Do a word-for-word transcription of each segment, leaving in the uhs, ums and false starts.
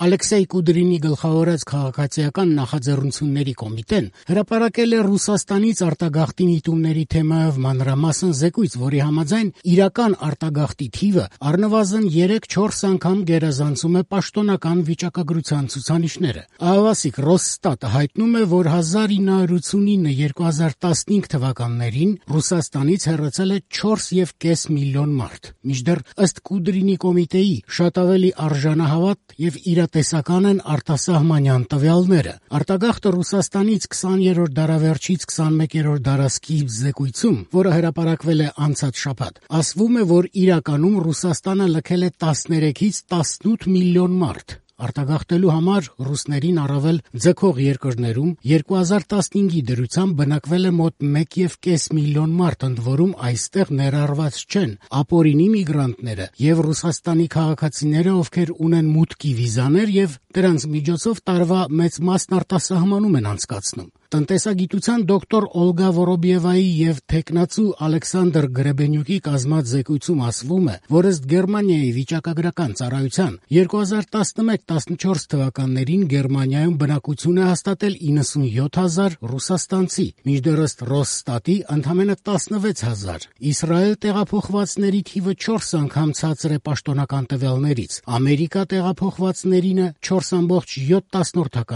Ալեքսեյ Կուդրինի գլխավորած քաղաքացիական նախաձեռնությունների կոմիտեն հրապարակել է Ռուսաստանից արտագաղթի միտումների թեմայով մանրամասն զեկույց, որի համաձայն իրական արտագաղթի թիվը առնվազն երեք-չորս անգամ գերազանցում է պաշտոնական վիճակագրության ցուցանիշները։ Ահավասիկ Ռոսստատը հայտնում է, որ հազար ինը հարյուր ութսունինը - երկու հազար տասնհինգ թվականներին Ռուսաստանից հեռացել է չորս եւ կես միլիոն մարդ։ Մինչդեռ ըստ Կուդրինի կոմիտեի շատ ավելի արժանահավատ եւ իրատեսական են արտասահմանյան տվյալները։ Արտագաղթը Ռուսաստանից քսաներորդ դարավերջից քսանմեկերորդ դարասկիզբ զեկույցում, որը հրապարակվել է անցած շաբաթ, ասվում է, որ իրականում Ռուսաստանը լքել է տասներեքից տասնութ միլիոն մարդ։ Արտագաղթելու համար ռուսներին առավել ձգող երկրներում երկու հազար տասնհինգի դրությամբ բնակվել է մոտ մեկ եւ կես միլիոն մարդ, ընդ որում այստեղ ներառված չեն ապօրինի միգրանտները եւ Ռուսաստանի քաղաքացիները, ովքեր ունեն մուտքի վիզաներ եւ դրանց միջոցով տարվա մեծ մասն արտասահմանում են անցկացնում։ Տնտեսագիտության դոկտոր Օլգա Վորոբիևայի եւ թեկնածու Ալեքսանդր Գրեբենյուկի կազմած զեկույցում ասվում է, որ ըստ Գերմանիայի վիճակագրական ծառայության երկու հազար տասնմեկ տասնչորս թվականներին Գերմանիայում բնակություն է հաստատել իննսունյոթ հազար ռուսաստանցի, մինչդեռ ըստ Ռոսստատի ընդամենը տասնվեց հազար։ Իսրայել տեղափոխվածների թիվը չորս անգամ ցածր է պաշտոնական տվյալներից, Ամերիկա տեղափոխվածներինը չորս ամբողջ յոթ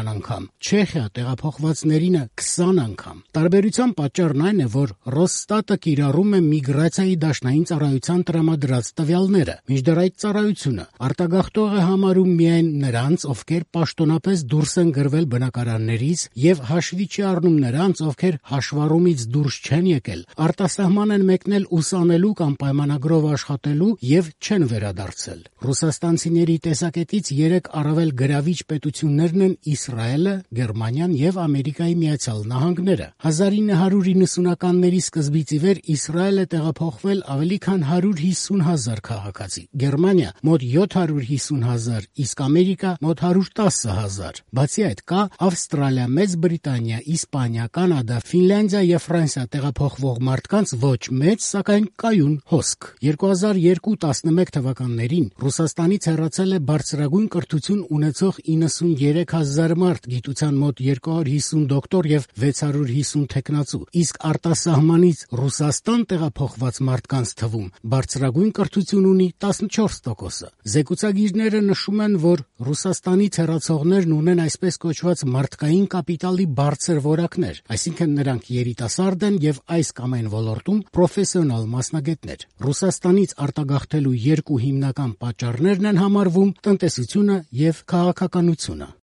անգամ, Չեխիա տեղափոխվածներինը քսան անգամ։ Տարբերության պատճառն այն է, որ Ռոսստատը կիրառում է միգրացիայի դաշնային ծառայության տրամադրած տվյալները, մինչդեռ այդ ծառայությունը արտագաղթող է համարում միայն նրանց, ովքեր պաշտոնապես դուրս են գրվել բնակարաններից եւ հաշվի չի առնում նրանց, ովքեր հաշվառումից դուրս չեն եկել, արտասահման են մեկնել ուսանելու կամ պայմանագրով աշխատելու եւ չեն վերադարձել։ Ռուսաստանցիների տեսակետից երեք առավել գրավիչ պետություններն են Իսրայելը, Գերմանիան եւ Ամերիկայի Միացյալ Նահանգները։ հազար ինը հարյուր իննսունականների սկզբից ի վեր Իսրայել է տեղափոխվել ավելի քան հարյուր հիսուն հազար քաղաքացի, Գերմանիա մոտ յոթ հարյուր հիսուն հազար, իսկ Ամերիկա մոտ հարյուր տասը հազար։ Բացի այդ կա Ավստրալիա, Մեծ Բրիտանիա, Իսպանիա, Կանադա, Ֆինլանդիա եւ Ֆրանսիա տեղափոխվող մարդկանց ոչ մեծ, սակայն կայուն հոսք։ երկու հազար երկու տասնմեկ թվականներին Ռուսաստանից հեռացել է բարձրագույն կրթություն ունեցող իննսունյերեք հազար մարդ, գիտության մոտ երկու հարյուր հիսուն դոկտոր եւ վեց հարյուր հիսուն թեկնածու, իսկ արտասահմանից Ռուսաստան տեղափոխված մարդկանց թվում բարձրագույն կրթություն ունի տասնչորս տոկոսը։ Զեկուցագիրները նշում են, որ Ռուսաստանից հեռացողներն ունեն այսպես կոչված մարդկային կապիտալի բարձր որակներ, այսինքն նրանք երիտասարդ են եւ այս կամ այն ոլորտում պրոֆեսիոնալ մասնագետներ։ Ռուսաստանից արտագաղթելու երկու հիմնական պատճառներն են համարվում տնտեսությունը եւ քաղաքականությունը։